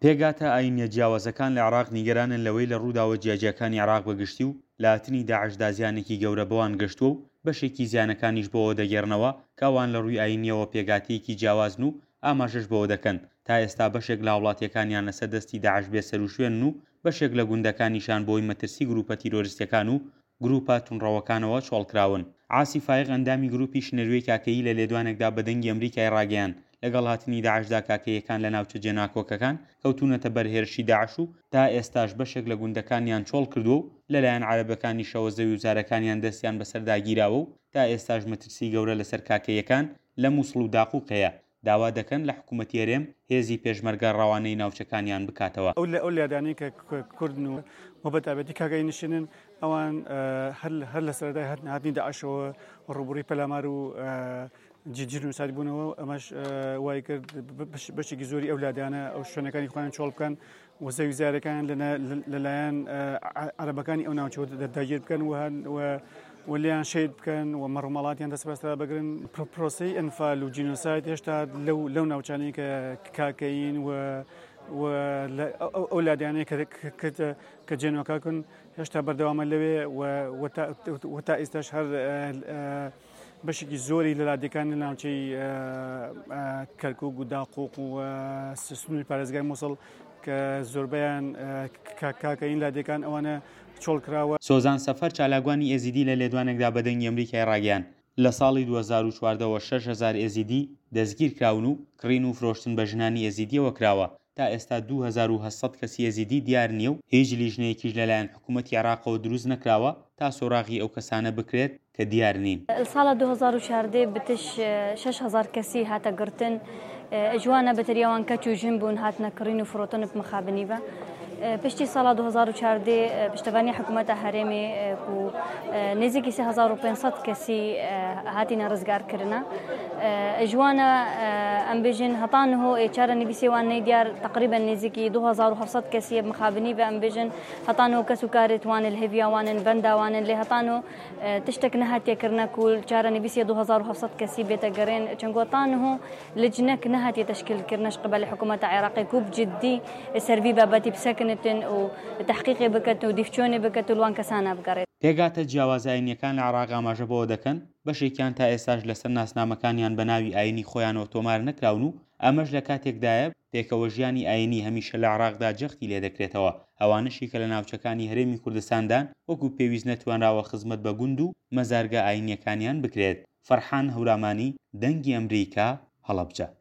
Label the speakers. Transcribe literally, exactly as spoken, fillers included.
Speaker 1: پێکهاتە ئاینیە جیاوازەکان لە عێراق نیگەرانن لەوەی لە ڕووداوە جیاجیاکانی عێراق بە گشتی و لە هاتنی داعشدا زیانێکی گەورە بەوان گەشتووە و بەشێکی زیانەکانیش بۆ ئەوە دەگێڕنەوە کە ئەوان لە ڕووی ئاینیەوە پێکهاتەیەکی جیاوازن و ئاماژەش بەوە دەکەن تا ئێستا بەشێک لە هاوڵاتیەکانیان لەسەر دەستی داعش بێسەروشوێنن و بەشێک لە گوندەکانیشان بەهۆی مەترسی گروپە تیرۆرستیەکان و گروپە توندڕەوەکانەوە چۆڵکراون. عاسی فایق ئەندامی گروپی شنروێی کاکەیی لە لێدوانێکدا بە دەنگی ئەمریکای ڕاگەیاند لەگەڵ هاتنی داعشدا کاکەییەکان لە ناوچە جێناکۆکەکان کەوتوونەتە بەر هێرشی داعش و تا ئێستاش بەشێک لە گوندەکانیان چۆڵکردووە و لەلایەن عەرەبەکانیشەوە زەویوزارەکانیان دەستیان بەسەردا گیراوە و تا ئێستاش مەترسی گەورە لەسەر کاکەییەکان لە موسڵ و داقوق هەیە، داوا دەکەن لە حکومەتی هەرێم هێزی پێشمەرگە ڕەوانەی ناوچەکانیان بکاتەوە.
Speaker 2: ئەو لادانەی کە کوردن و بە تایبەتی کاکەیی نشینن ئەوان هەر لە سەرەتای هاتنی داعشەوە ڕووبەڕووی پەلامار و جینۆساید بوونەوە، ئەمەش وای کرد بەشێکی زۆری ئەو لادانە ئەو شوێنەکانی خۆیان چۆڵ بکەن و زەوی زارەکان لەلایەن عەرەبەکانی ئەو ناوچەوە داگیر بکەن و لێیان شەهید بکەن و مەڕوماڵاتیان دەست بەسەردا بگرن. پرۆسەی ئەنفال و جینۆساید هێشتا لەو ناوچانەی کە کاکەیین و ئەو لادانەی کە جێنۆکاکن هێشتا بەردەوامە لەوێ و تا ئێستاش هەر بەشێکی زۆری لە لادێکان لە ناوچەی کەرکوک و داقوق و سنووری پارێزگای موسڵ کە زۆربەیان کاکەیین لادێکان ئەوانە چۆڵ کراوە.
Speaker 1: سۆزان سەفەر چالاکوانی ئێزیدی لە لێدوانێکدا بە دەنگی ئەمریکای ڕاگەیاند لە ساڵی دوو هەزار و چواردە وە شەش هەزار ئێزیدی دەستگیرکراون و کڕین و فرۆشتن بە ژنانی ئێزیدیەوە کراوە، تا ئێستا دوو هەزار و هەشت سەد کەسی ئێزیدی دیار نییە و هیچ لیژنەیەکیش لەلایەن حکوومەتی عێراقەوە دروست نەکراوە تا سۆراغی ئەو کەسانە بکرێت کە دیار نین.
Speaker 3: لە ساڵە دوو هەزار و چواردە بتش شەش هەزار کەسی هاتە گرتن، جوانە بەتەریاوان کەچ و ژن بوون هاتنە کڕین و فرۆتن بمخابنی بە. پشتی ساڵ دوو هەزار و چواردە پشتەوانی حکوومەتە هەرێمی و نزیکی سێ هەزار و پێنج سەد کەسی هاتینە ڕزگارکردنە. جوانە ئەم بێژن هەتانەوە چارە نویسێوان نەیدیار تقریبا نزیکی دوو هەزار و هەفت سەد کەسی مخابنی بە ئەم بێژن هەتانەوە کەس و کارێتوانن هێڤیاوانن بەنداوانن لێ هەتانەوە تشتێک نەهاتیەکردنە کول چارە نویسێ دوو هەزار و هەفت سەد کەسی بێتە گەڕێن چەنگۆتانەوە لجنەک نەهاتیە تەشکیلکردنەش قبل حکوومەتە عێراقی کوب جدی سەرڤی بابەتی بسەکنتن و تحقیقی بکەن و دیفچۆنی بکەن و لوان کەسانە بگەڕێت.
Speaker 1: پێکهاتە جیاوازە ئاینیەکان لە عێراق ئاماژە بەوە دەکەن بەشێکیان تا ئێستاش لەسەر ناسنامەکانیان بە ناوی ئاینی خۆیانەوە تۆمار نەکراون و ئەمەش لە کاتێکدایە پێکەوە ژیانی ئاینی هەمیشە لە عێراقدا جەختی لێدەکرێتەوە. ئەوانەشی کە لە ناوچەکانی هەرێمی کوردستاندان وەکو پێویست نەتوانراوە خزمەت بە گوند و مەزارگە ئاینیەکانیان بکرێت. فەرحان هەورامانی، دەنگی ئەمریکا، هەڵەبجە.